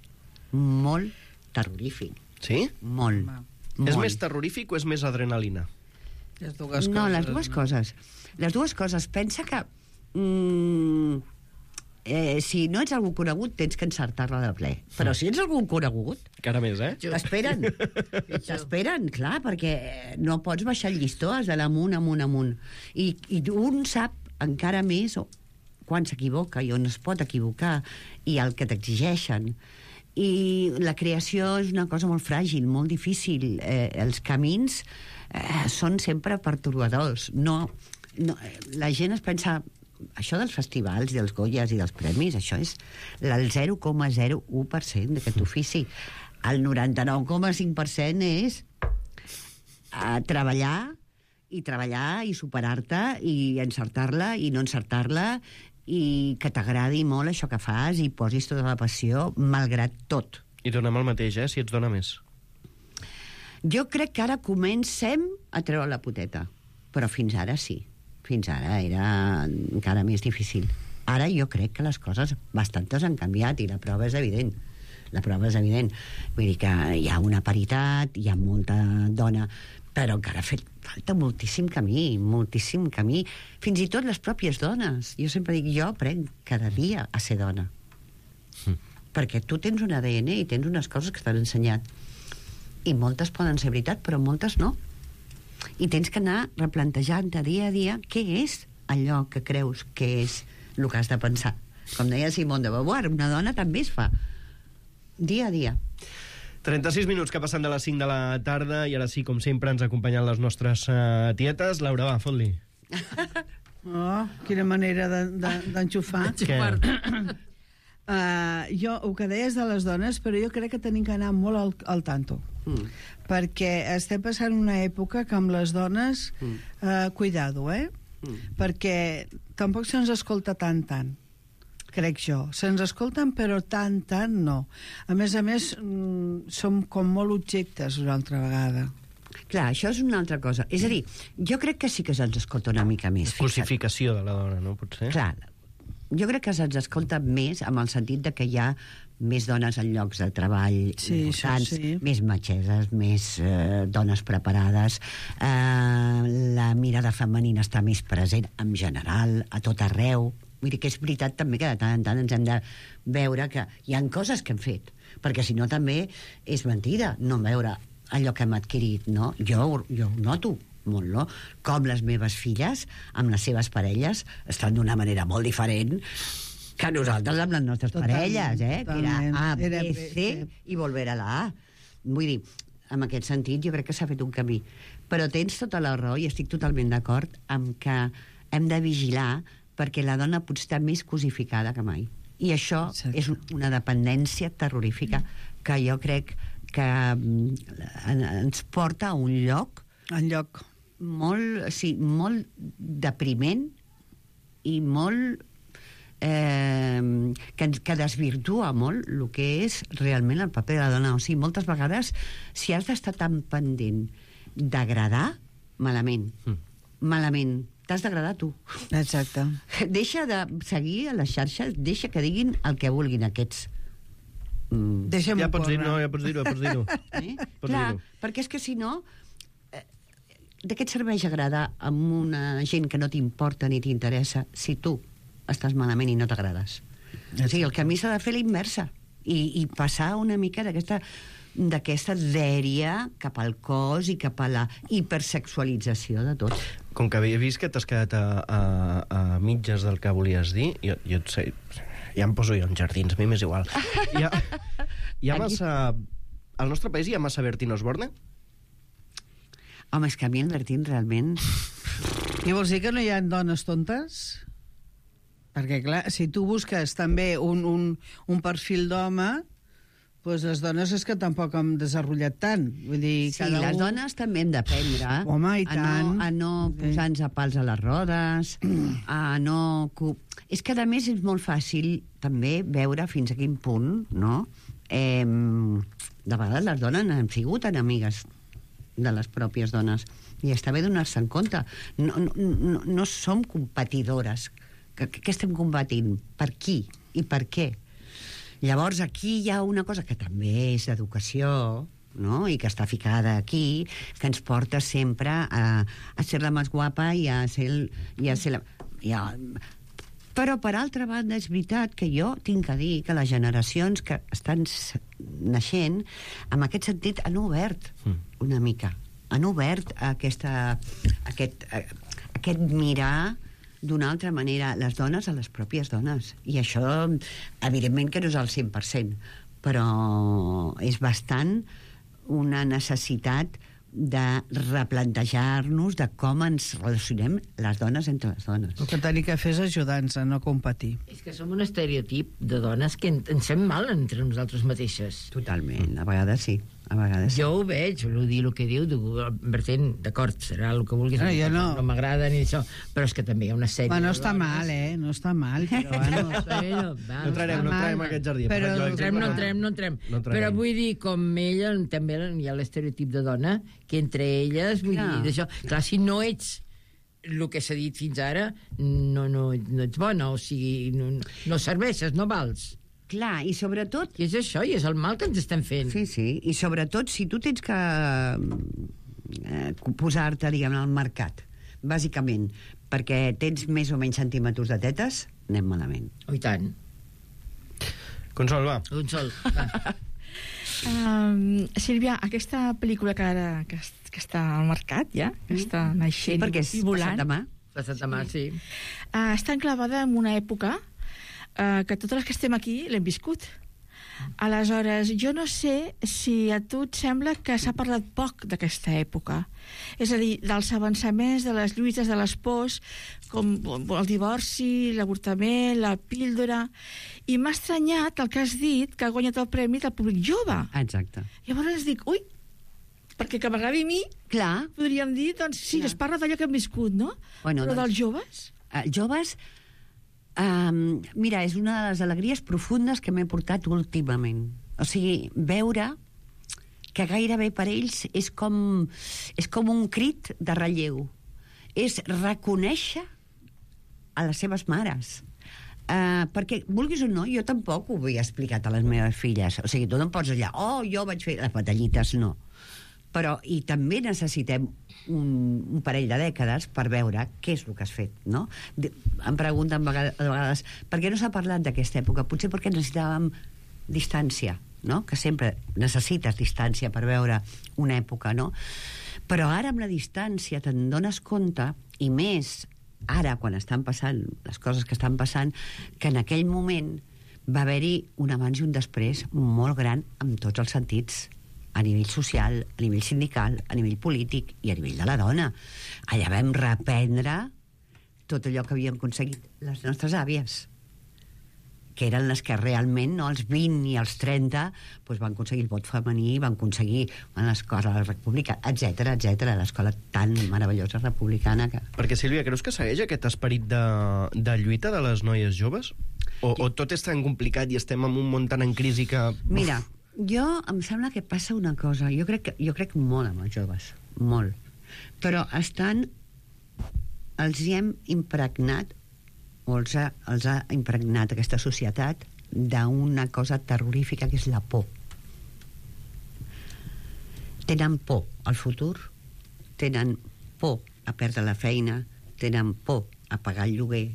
molt terrorífic. Sí? Molt. Molt. És més terrorífic o és més adrenalina? Les dues no, coses. les dues coses. Les dues coses. Pensa que mm, eh, si no ets algú conegut tens que encertar-la de ple. Però si ets algú conegut... Encara més, eh? T'esperen. T'esperen, clar, perquè no pots baixar el llistó, has d'anar amunt, amunt, amunt. I, i un sap encara més quan s'equivoca i on es pot equivocar i el que t'exigeixen. I la creació és una cosa molt fràgil, molt difícil. Eh, els camins eh, són sempre pertorbadors. No, no, la gent es pensa... Això dels festivals, dels Goyas i dels premis, això és el zero coma zero u per cent d'aquest ofici. El noranta-nou coma cinc per cent és a treballar i treballar i superar-te i encertar-la i no encertar-la i que t'agradi molt això que fas i posis tota la passió malgrat tot. I donem el mateix, eh, si ets dona més. Jo crec que ara comencem a treure la poteta, però fins ara sí. Fins ara era encara més difícil. Ara jo crec que les coses bastantes han canviat i la prova és evident. La prova és evident. Vull dir que hi ha una paritat, hi ha molta dona, però encara ha fet falta moltíssim camí, moltíssim camí. Fins i tot les pròpies dones. Jo sempre dic, jo aprenc cada dia a ser dona. Mm. Perquè tu tens un A D N i tens unes coses que t'han ensenyat. I moltes poden ser veritat, però moltes no. I tens que anar replantejant de dia a dia què és allò que creus que és el que has de pensar. Com deia Simone de Beauvoir, una dona també es fa dia a dia. trenta-sis minuts que passen de les cinc de la tarda i ara sí, com sempre, ens acompanyen les nostres uh, tietes. Laura, va, fot-li. Oh, quina manera d'enxufar. De, Què? Uh, jo, el que deies de les dones, però jo crec que tenim que anar molt al, al tanto. Mm. Perquè estem passant una època que amb les dones mm. uh, cuidado, eh? Mm. Perquè tampoc se'ns escolta tant, tant, crec jo. Se'ns escolten, però tant, tant no. A més a més, mm, som com molt objectes una altra vegada. Clar, això és una altra cosa. És a dir, jo crec que sí que se'ns escolta una mica més. Cosificació de la dona, no? Potser. Clar, jo crec que se'ns escolta més amb el sentit de que hi ha més dones en llocs de treball Sí, importants, això sí. més metgesses, més eh, dones preparades, eh, la mirada femenina està més present en general, a tot arreu. Vull dir que és veritat també que de tant en tant ens hem de veure que hi ha coses que hem fet, perquè si no també és mentida no veure allò que hem adquirit, no? Jo, jo ho noto molt, no? Com les meves filles, amb les seves parelles, estan d'una manera molt diferent que nosaltres amb les nostres Totalment, parelles, eh? Que era totalment. A, B, Era B, C sí. i volver a la A. Vull dir, en aquest sentit jo crec que s'ha fet un camí. Però tens tota la raó i estic totalment d'acord amb que hem de vigilar perquè la dona pot estar més cosificada que mai. I això Exacte. és una dependència terrorífica que jo crec que ens porta a un lloc en lloc molt, sí, molt depriment i molt eh, que, que desvirtua molt el que és realment el paper de la dona. O sigui, moltes vegades si has d'estar tan pendent d'agradar, malament mm. malament, t'has d'agradar tu. Exacte. Deixa de seguir a les xarxes, deixa que diguin el que vulguin aquests. Mm. Ja pots dir, no, ja pots dir-ho, ja pots dir-ho. Eh? Clar, perquè és que si no eh, de què et serveix agradar amb una gent que no t'importa ni t'interessa si tu estàs malament i no t'agrades? O sigui, el camí s'ha de fer la inversa i, i passar una mica d'aquesta d'aquesta dèria cap al cos i cap a la hipersexualització de tot. Com que havia vist que t'has quedat a, a, a mitges del que volies dir, jo, jo et sé, ja em poso jo en jardins, a mi m'és igual. Hi ha, hi ha massa... Al nostre país hi ha massa Bertín Osborne? Home, és que a mi el Bertín realment... I vols dir que no hi ha dones tontes? Perquè, clar, si tu busques també un, un, un perfil d'home, doncs les dones és que tampoc hem desenvolupat tant. Vull dir, sí, cada les un... dones també hem d'aprendre Home, i a tant. no, a no posar-nos a pals a les rodes, a no... És que, a més, és molt fàcil també veure fins a quin punt, no? Eh, de vegades les dones han sigut enemigues de les pròpies dones. I està bé donar-se en compte. No, no, no, no som competidores. Què estem combatint? Per qui? I per què? Llavors, aquí hi ha una cosa que també és d'educació, no? I que està ficada aquí, que ens porta sempre a, a ser la més guapa i a ser, el, i a ser la... I a... Però, per altra banda, és veritat que jo tinc a dir que les generacions que estan naixent, en aquest sentit, han obert una mica. Han obert aquesta, aquest, aquest mirar d'una altra manera les dones a les pròpies dones. I això, evidentment que no és al cent per cent, però és bastant una necessitat de replantejar-nos de com ens relacionem les dones entre les dones. El que tenim que fer és ajudar-nos a no competir. És que som un estereotip de dones que ens fem mal entre nosaltres mateixes. Totalment, a vegades sí. A vegades. Jo ho veig, vull dir el que diu, Bertín, d'acord, serà el que vulguis, no, jo no, no m'agrada ni això, però és que també hi ha una sèrie... Bueno, no està mal, eh? No està mal, però bueno... no, bueno, va, no entrarem, no entrarem a aquest jardí. Però no entrem, no entrem, no entrem. No però vull dir, com ella, també hi ha l'estereotip de dona, que entre elles, vull Clar. dir, d'això... Clar, si no ets el que s'ha dit fins ara, no, no, no ets bona, o sigui, no, no serveixes, no vals. Clar, i sobretot... I és això, i és el mal que ens estem fent. Sí, sí, i sobretot si tu tens que eh, posar-te, diguem, al mercat, bàsicament, perquè tens més o menys centímetres de tetes, anem malament. Oh, i tant. Consol, va. Consol, va. Um, Sílvia, aquesta pel·lícula que ara que, que està al mercat ja, que està naixent sí, perquè és i volant, passat demà. Passat demà, sí. Uh, està enclavada en una època uh, que totes les que estem aquí l'hem viscut. Aleshores, jo no sé si a tu et sembla que s'ha parlat poc d'aquesta època. És a dir, dels avançaments, de les lluites, de les pors, com el divorci, l'avortament, la píldora... I m'ha estranyat el que has dit, que ha guanyat el premi del públic jove. Exacte. Llavors dic, ui, perquè que m'agradi a mi, clar, podríem dir, doncs sí, clar. Es parla d'allò que hem viscut, no? Bueno, però doncs, dels joves? Uh, joves... Um, mira, és una de les alegries profundes que m'he portat últimament. O sigui, veure que gairebé per ells és com, és com un crit de relleu. És reconèixer a les seves mares, Uh, perquè, vulguis o no, jo tampoc ho havia explicat a les meves filles. O sigui, tu no em pots allà, oh, jo vaig fer les batallites, no. Però, i també necessitem un, un parell de dècades per veure què és el que has fet, no? De, em pregunten a vegades, a vegades per què no s'ha parlat d'aquesta època? Potser perquè necessitàvem distància, no? Que sempre necessites distància per veure una època, no? Però ara amb la distància te'n dones compte, i més ara quan estan passant les coses que estan passant, que en aquell moment va haver-hi un abans i un després molt gran en tots els sentits, a nivell social, a nivell sindical, a nivell polític i a nivell de la dona. Allà vam reprendre tot allò que havíem aconseguit les nostres àvies, que eren les que realment, no, als vint i als trenta, doncs van aconseguir el vot femení, van aconseguir l'escola republicana, etcètera, etcètera, l'escola tan meravellosa republicana que... Perquè, Sílvia, creus que segueix aquest esperit de, de lluita de les noies joves? O, o tot és tan complicat i estem en un món tan en crisi que... Mira, jo em sembla que passa una cosa, jo crec, que, jo crec molt amb els joves, molt, però estan, els hi hem impregnat, o els ha, els ha impregnat aquesta societat d'una cosa terrorífica que és la por. Tenen por al futur, tenen por a perdre la feina, tenen por a pagar el lloguer,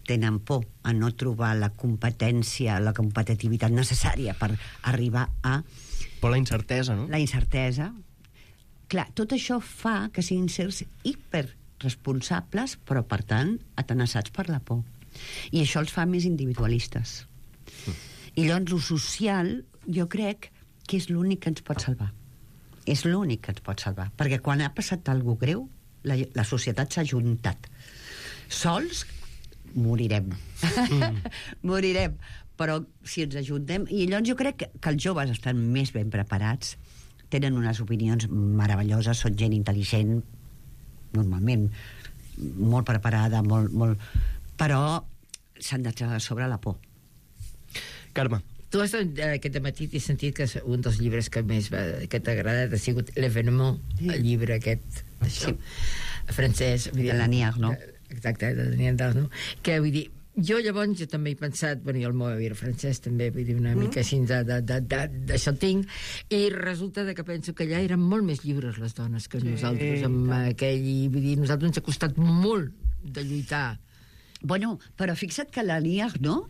tenen por a no trobar la competència, la competitivitat necessària per arribar a... Por la incertesa, no? La incertesa. Clar, tot això fa que siguin certs hiperresponsables, però, per tant, atenaçats per la por. I això els fa més individualistes. Mm. I llavors, lo social, jo crec que és l'únic que ens pot salvar. És l'únic que ens pot salvar. Perquè quan ha passat alguna cosa greu, la, la societat s'ha juntat. Sols morirem. Mm. Morirem. Però si ens ajuntem... I llavors jo crec que, que els joves estan més ben preparats, tenen unes opinions meravelloses, són gent intel·ligent, normalment molt preparada, molt... molt... però s'han de treure sobre la por. Carme. Tu has, aquest matí t'he sentit que un dels llibres que més va, que t'ha agradat ha sigut L'Événement, sí. El llibre aquest això, sí. francès. De l'Annie Ernaux. Exacte, de l'Annie Ernaux. Que vull dir, jo llavors jo també he pensat, bueno, i el meu avi era francès també, vull dir, una mm. mica així de, de, de, de, d'això tinc, i resulta que penso que allà eren molt més lliures les dones que sí, nosaltres, amb tant. Aquell, vull dir, nosaltres ens ha costat molt de lluitar. Bueno, però fixa't que l'Annie Ernaux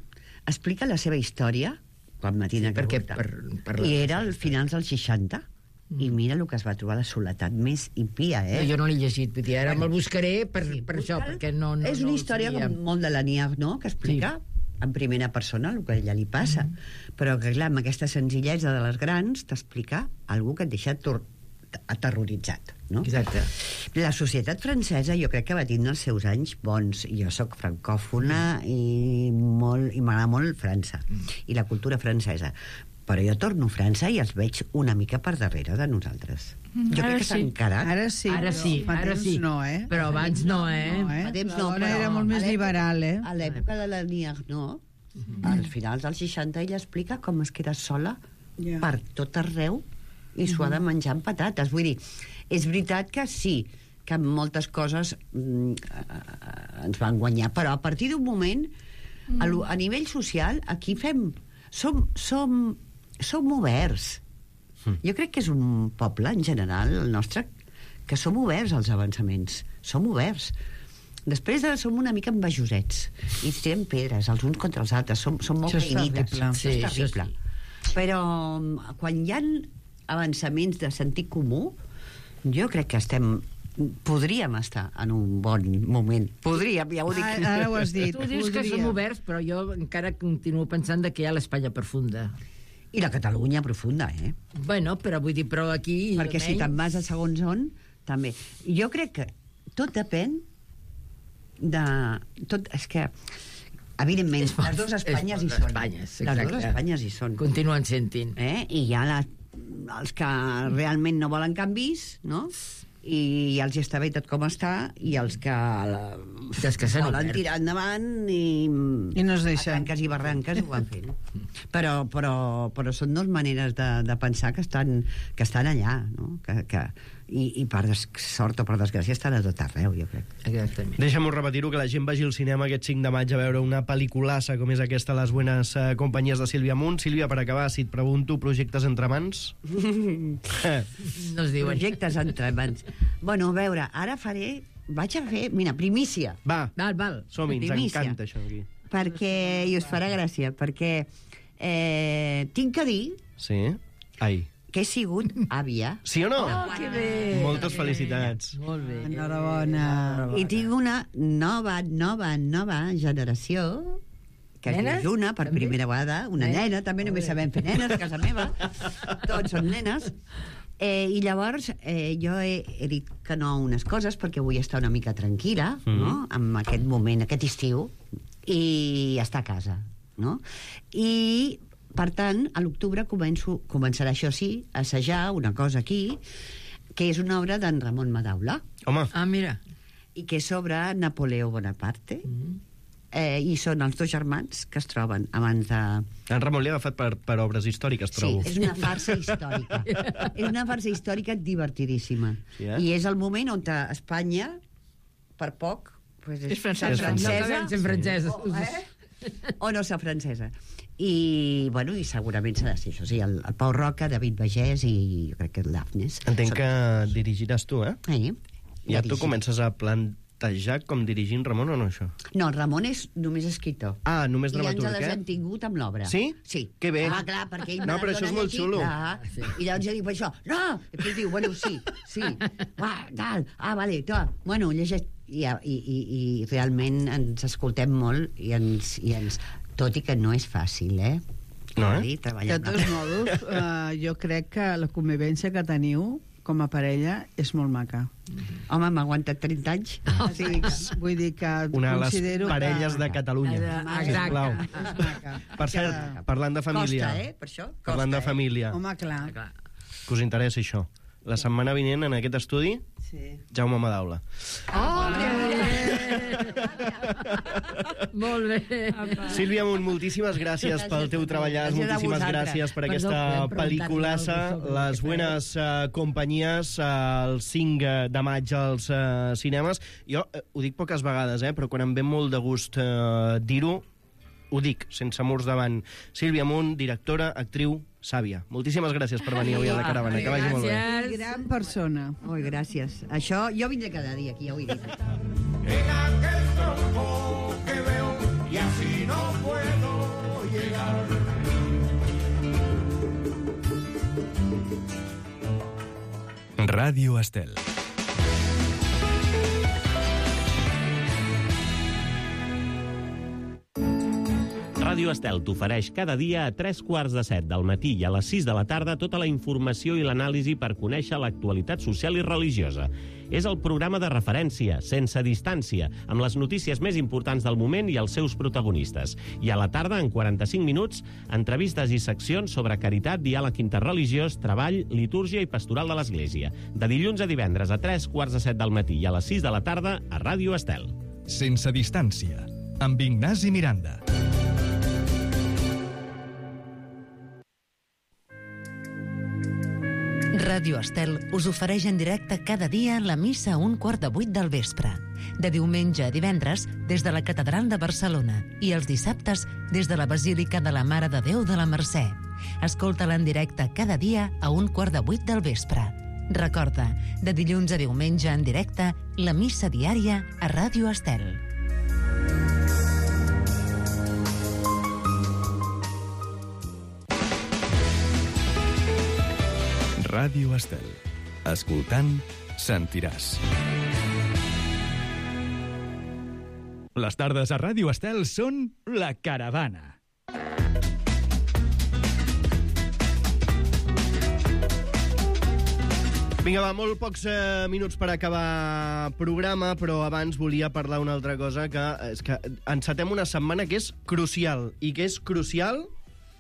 explica la seva història quan Matina sí, perquè, per, per i era al finals dels seixanta mm. i mira el que es va trobar, la soledat més impia, eh? No, jo no l'he llegit, vull dir, ara bueno, me'l buscaré per, sí, per això, perquè no... no és una no història com molt de l'Annie Ernaux, que explica sí. en primera persona el que a ella li passa, mm. però que clar, amb aquesta senzillesa de les grans t'explica algú que et deixa aterroritzat, no? Exacte. La societat francesa jo crec que va tindre els seus anys bons. Jo sóc francòfona mm. i, molt, i m'agrada molt França mm. i la cultura francesa, però jo torno a França i els veig una mica per darrere de nosaltres. Mm. Jo crec que s'ha sí. encarat. Ara sí, ara sí, fa ara temps sí. no, eh? Però abans no, eh? No, eh? Fa temps no, però era molt més liberal, eh? A l'època de l'Annie Ernaux, mm. als finals dels seixanta, ella explica com es queda sola yeah. per tot arreu i s'ho ha de menjar amb patates. Vull dir, és veritat que sí, que moltes coses mm, ens van guanyar, però a partir d'un moment, mm. a, a nivell social, aquí fem... Som, som, som oberts. Mm. Jo crec que és un poble, en general, el nostre, que som oberts als avançaments. Som oberts. Després de, som una mica envejosets i tirem pedres els uns contra els altres. Som, som molt caïnites. Sí, és terrible. Sí. Però quan hi ha avançaments de sentit comú, jo crec que estem podríem estar en un bon moment. Podríem, ja ho dic. Ara, ara ho has dit. Tu dius que som oberts, però jo encara continuo pensant que hi ha l'Espanya profunda. I la Catalunya profunda, eh? Bueno, però vull dir, però aquí... Perquè si te'n vas a segons on, també. Jo crec que tot depèn de... Tot, és que... Evidentment, és les dues Espanyes hi són. Espanyes, les dues Espanyes hi són. Continuen sentint. Eh? I hi ha la, els que realment no volen canvis, no? i els està bé tot com està, i els que, la, que volen tirar endavant i, I no es deixen. a tanques i barranques ho van fent. Però, però, però són dues maneres de, de pensar que estan, que estan allà, no? que, que, i, i per des, sort o per desgràcia estan a tot arreu, jo crec. Exactament. Deixa'm repetir-ho, que la gent vagi al cinema aquest cinc de maig a veure una pel·liculassa com és aquesta, Les buenas eh, companyies de Sílvia Munt. Sílvia, per acabar, si et pregunto, projectes entre mans? No es diuen. Projectes entre mans. Bueno, a veure, ara faré... Vaig a fer... Mira, primícia. Va, Val, val. som-hi, ens Primícia. encanta això aquí. Perquè... I us farà gràcia, perquè eh, tinc que dir Sí? Ai. que he sigut àvia. Sí o no? Oh, que bé. Moltes felicitats. Molt bé. Enhorabona. I tinc una nova, nova, nova generació que es Nenes? diu Juna, per També? primera vegada, una Nenes? nena, també només sabem fer nenes a casa meva, tots són nenes. Eh, I llavors eh, jo he, he dit que no a unes coses perquè vull estar una mica tranquil·la, Mhm. no?, en aquest moment, aquest estiu, i estar a casa, no? I, per tant, a l'octubre començo, començarà, això sí, a assajar una cosa aquí, que és una obra d'en Ramon Madaula, Home, Ah, mira. i que és sobre Napoleó Bonaparte, eh, i són els dos germans que es troben abans de... en Ramon li ha agafat per, per obres històriques, trobo. Sí, és una farsa històrica. És una farsa històrica divertidíssima. Sí, eh? I és el moment on Espanya, per poc, pues és, És francesa. francesa, No acabem sent franceses. o, eh? o no ser francesa. I, bueno, i segurament serà així, això sí, el, el Pau Roca, David Bagès i jo crec que l'Afnes. Entenc que dirigiràs tu, eh? Eh? Ja tu Dirigir. comences a plantejar com dirigint Ramon o no, això? No, Ramon és només escriptor. Ah, només I ens dramaturg, les eh? hem tingut amb l'obra. Sí? Sí. Que bé. Ah, clar, perquè ell No, me però la això és dona molt llegir. xulo. Clar. I llavors jo dic, per això, no! I després diu, bueno, sí, sí. Ah, tal, ah, vale, to. Bueno, llegeix... I, i, i, i realment ens escoltem molt i ens, i ens... Tot i que no és fàcil, eh? No, eh? Dir, De treballar tots modos, uh, jo crec que la convivència que teniu com a parella és molt maca. Home, m'ha aguantat trenta anys. Sí, vull dir que Una de les considero parelles que... de Catalunya. Exacte. Sisplau. És maca. Per cert, parlant de família... Costa, eh? Per això, costa, Parlant de eh? família, Home, clar. que us interessa això. La setmana vinent, en aquest estudi, Sí. Jaume Madaula. Oh, que bé! Molt bé. Sílvia Munt, moltíssimes gràcies pel teu treballar, Gràcies a moltíssimes vosaltres. gràcies per Perdó, aquesta podem preguntar-li pel·liculassa, alguna cosa sobre Les què buenas uh, companyies, uh, el cinc de maig als uh, cinemes. Jo uh, ho dic poques vegades, eh, però quan em ve molt de gust uh, dir-ho, ho dic, sense murs davant. Sílvia Munt, directora, actriu, sàvia. Moltíssimes gràcies per venir avui a la caravana. Que vagi molt bé. Gràcies. Gran persona. Oi, gràcies. Això, jo vindré cada dia aquí, ja ho he dit. En aquel tronco que veo y así no puedo llegar. Ràdio Estel. Ràdio Estel t'ofereix cada dia a tres quarts de set del matí i a les sis de la tarda tota la informació i l'anàlisi per conèixer l'actualitat social i religiosa. És el programa de referència, sense distància, amb les notícies més importants del moment i els seus protagonistes. I a la tarda, en quaranta-cinc minuts, entrevistes i seccions sobre caritat, diàleg interreligiós, treball, litúrgia i pastoral de l'Església. De dilluns a divendres a tres quarts de set del matí i a les sis de la tarda a Ràdio Estel. Sense distància, amb Ignasi Miranda. Ràdio Estel us ofereix en directe cada dia la missa a un quart de vuit del vespre. De diumenge a divendres, des de la Catedral de Barcelona, i els dissabtes, des de la Basílica de la Mare de Déu de la Mercè. Escolta-la en directe cada dia a un quart de vuit del vespre. Recorda, de dilluns a diumenge en directe, la missa diària a Ràdio Estel. Ràdio Estel. Escoltant, sentiràs. Les tardes a Ràdio Estel són La Caravana. Vinga, va, molt pocs eh, minuts per acabar programa, però abans volia parlar una altra cosa, que és que encetem una setmana que és crucial, i que és crucial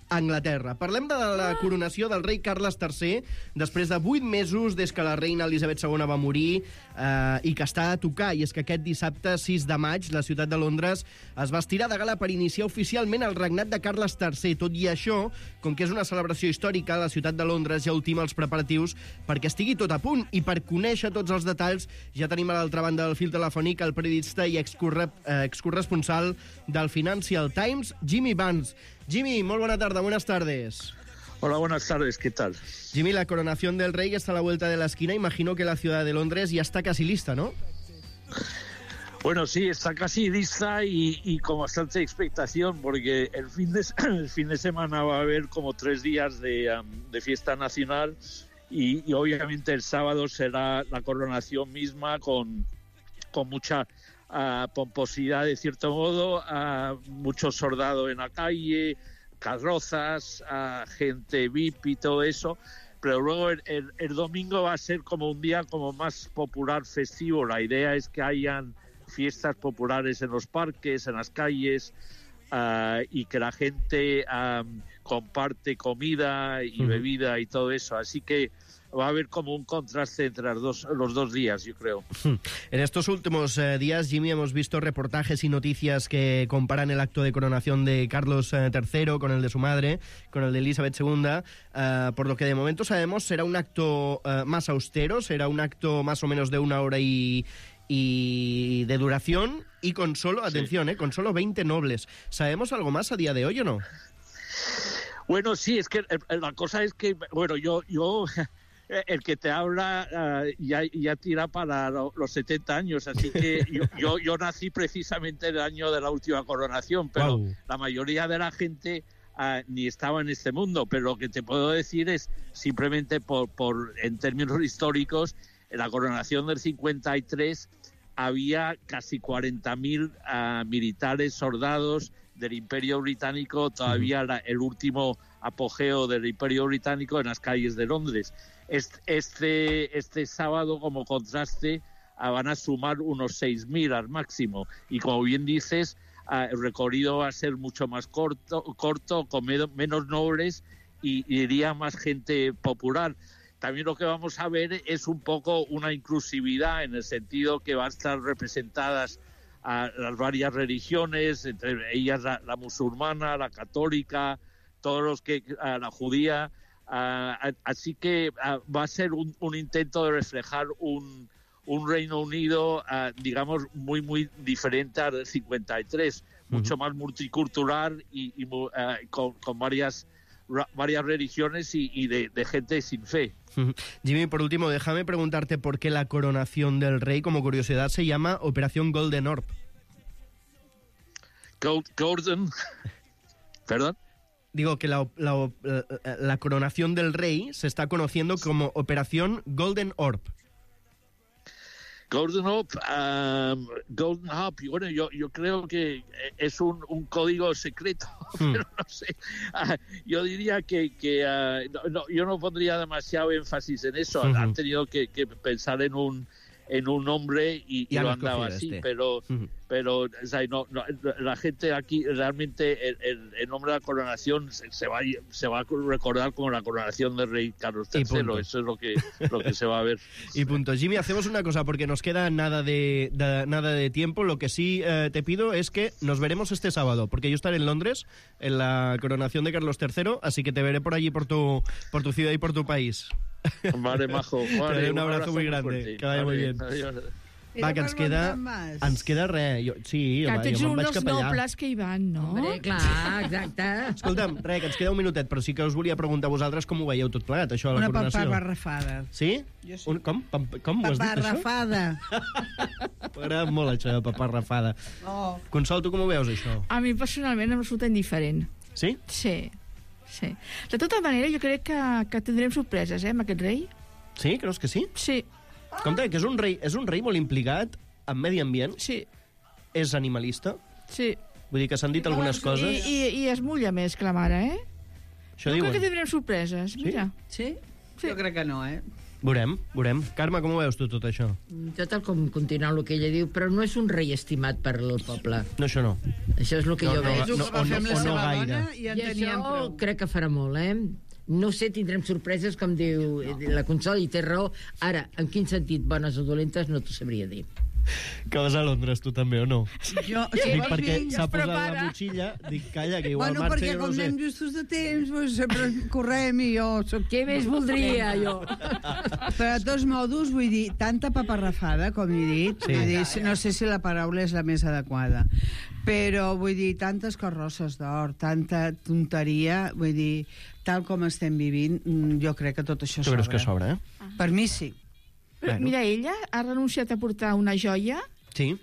Anglaterra. Parlem de la coronació del rei Carles tercer, després de vuit mesos des que la reina Elisabet segona va morir eh, i que està a tocar. I és que aquest dissabte, sis de maig, la ciutat de Londres es va estirar de gala per iniciar oficialment el regnat de Carles tercer. Tot i això, com que és una celebració històrica, la ciutat de Londres ja ultima els preparatius perquè estigui tot a punt. I per conèixer tots els detalls, ja tenim a l'altra banda del fil telefònic el periodista i excurre, eh, excorresponsal del Financial Times, Jimmy Vance. Jimmy, muy buena tarde, buenas tardes. Hola, buenas tardes, ¿qué tal? Jimmy, la coronación del rey está a la vuelta de la esquina. Imagino que la ciudad de Londres ya está casi lista, ¿no? Bueno, sí, está casi lista y, y con bastante expectación, porque el fin, de, el fin de semana va a haber como tres días de, um, de fiesta nacional y, y obviamente el sábado será la coronación misma con, con mucha... Uh, pomposidad, de cierto modo, uh, muchos soldados en la calle, carrozas, uh, gente V I P y todo eso, pero luego el, el, el domingo va a ser como un día como más popular, festivo. La idea es que hayan fiestas populares en los parques, en las calles, uh, y que la gente um, comparte comida y uh-huh. bebida y todo eso, así que va a haber como un contraste entre las dos, los dos días, yo creo. En estos últimos eh, días, Jimmy, hemos visto reportajes y noticias que comparan el acto de coronación de Carlos eh, tercero con el de su madre, con el de Elisabet segunda. Eh, por lo que de momento sabemos, será un acto eh, más austero, será un acto más o menos de una hora y, y de duración y con solo, atención, sí. eh, con solo veinte nobles. ¿Sabemos algo más a día de hoy o no? Bueno, sí, es que la cosa es que, bueno, yo... yo... el que te habla uh, ya, ya tira para lo, los setenta años, así que yo, yo, yo nací precisamente el año de la última coronación, pero wow. la mayoría de la gente uh, ni estaba en este mundo, pero lo que te puedo decir es simplemente por, por en términos históricos, en la coronación del cincuenta y tres había casi cuarenta mil uh, militares, soldados del Imperio Británico, todavía uh-huh. la, el último apogeo del Imperio Británico en las calles de Londres. Este, este sábado, como contraste, van a sumar unos seis mil al máximo. Y como bien dices, el recorrido va a ser mucho más corto, corto con menos nobles y, y iría más gente popular. También lo que vamos a ver es un poco una inclusividad, en el sentido que van a estar representadas a las varias religiones, entre ellas la, la musulmana, la católica, todos los que a la judía. Uh, así que uh, va a ser un, un intento de reflejar un, un Reino Unido, uh, digamos, muy, muy diferente al del cincuenta y tres, uh-huh. mucho más multicultural y, y uh, con, con varias, ra, varias religiones y, y de, de gente sin fe. Uh-huh. Jimmy, por último, déjame preguntarte por qué la coronación del rey, como curiosidad, se llama Operación Golden Orb. Gold, Golden... ¿Perdón? Digo que la, la, la, la coronación del rey se está conociendo como Operación Golden Orb. Golden Orb, um, Golden Orb, bueno, yo, yo creo que es un, un código secreto, hmm. pero no sé. Uh, yo diría que, que uh, no, no, yo no pondría demasiado énfasis en eso. Uh-huh. Han tenido que, que pensar en un en un nombre y, y lo han dado así, este. pero uh-huh. pero o sea, no, no, la gente aquí realmente el, el, el nombre de la coronación se, se va se va a recordar como la coronación del rey Carlos tercero. Eso es lo que lo que se va a ver. Y punto. Jimmy, hacemos una cosa porque nos queda nada de, de nada de tiempo. Lo que sí eh, te pido es que nos veremos este sábado, porque yo estaré en Londres en la coronación de Carlos tercero, así que te veré por allí, por tu por tu ciudad y por tu país. Vale, majo. Vale, un, abrazo un abrazo muy grande. Fuerte. Que vaya vale, muy bien. Adiós. Va, que ens queda, ens queda res. Jo, sí, que va, tens jo un me'n vaig dels cap allà. nobles que hi van, no? Hombre, clar, exacte. Escolta'm, res, que ens queda un minutet, però sí que us volia preguntar a vosaltres com ho veieu tot plegat, això de la Una coronació. Una paparrafada. Sí? Jo sí. Un, com? Pam, com ho has dit, això? Paparrafada. M'agrada molt, això de paparrafada. Oh. Consol, tu com ho veus, això? A mi, personalment, em resulta indiferent. Sí? Sí, sí. De tota manera, jo crec que, que tindrem sorpreses, eh, amb aquest rei. Sí? Creus que sí? Sí. Compte, que és un rei, és un rei molt implicat en medi ambient. Sí. És animalista. Sí. Vull dir que s'han dit algunes I, coses. I, I es mulla més que la mare, eh? Això jo diuen. crec que tindrem sorpreses, Sí? mira. Sí? Sí. Jo crec que no, eh? Veurem, veurem. Carme, com ho veus tu, tot això? Jo tal com continuant el que ella diu, però no és un rei estimat per al poble. No, això no. Això és el que No, jo no, veig. no, no, o no, o no gaire. I en I teníem això prou. crec que farà molt, eh? No sé, tindrem sorpreses, com diu la Consol, i té raó. Ara, en quin sentit, bones o dolentes, no t'ho sabria dir. Que vas a Londres, tu també, o no? Jo, Dic, vols perquè dir, s'ha es posat prepara. la motxilla, dic, calla, que igual Bueno, marxa, perquè jo com no sé. anem justos de temps, doncs sempre correm i jo soc... Què més voldria, jo? Però de tots modos, vull dir, tanta paparrafada, com he dit, Sí. vull dir, no sé si la paraula és la més adequada, però vull dir, tantes carrosses d'or, tanta tonteria, vull dir, tal com estem vivint, mm, jo crec que tot això Tu sobra. creus que sobra, eh? Per mi sí. Però, Bueno. mira, ella ha renunciat a portar una joia Sí.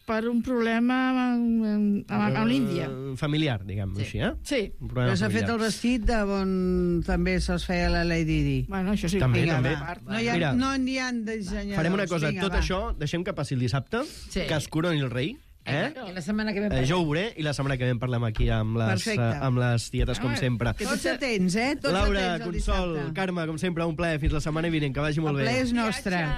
per un problema amb, amb, amb l'Índia. Eh, familiar, diguem-ho així, eh? Sí. Un problema Però s'ha fet familiar. el vestit de on també se'ls feia la Lady Di. Bueno, això sí. També, Vinga, també. va. No hi ha, Mira, no n'hi ha dissenyadors. farem una cosa, Vinga, tot va. això deixem que passi el dissabte, Sí. que es coroni el rei, eh? I la setmana que ve Eh, jo ho veuré i la setmana que ve en parlem aquí amb les, Perfecte. eh, amb les tietes, com Home, sempre. Tots atents, eh? Tots Laura, atents el Consol, dissabte. Carme, com sempre, un plaer. Fins la setmana vinent, que vagi molt El bé. ple és nostre.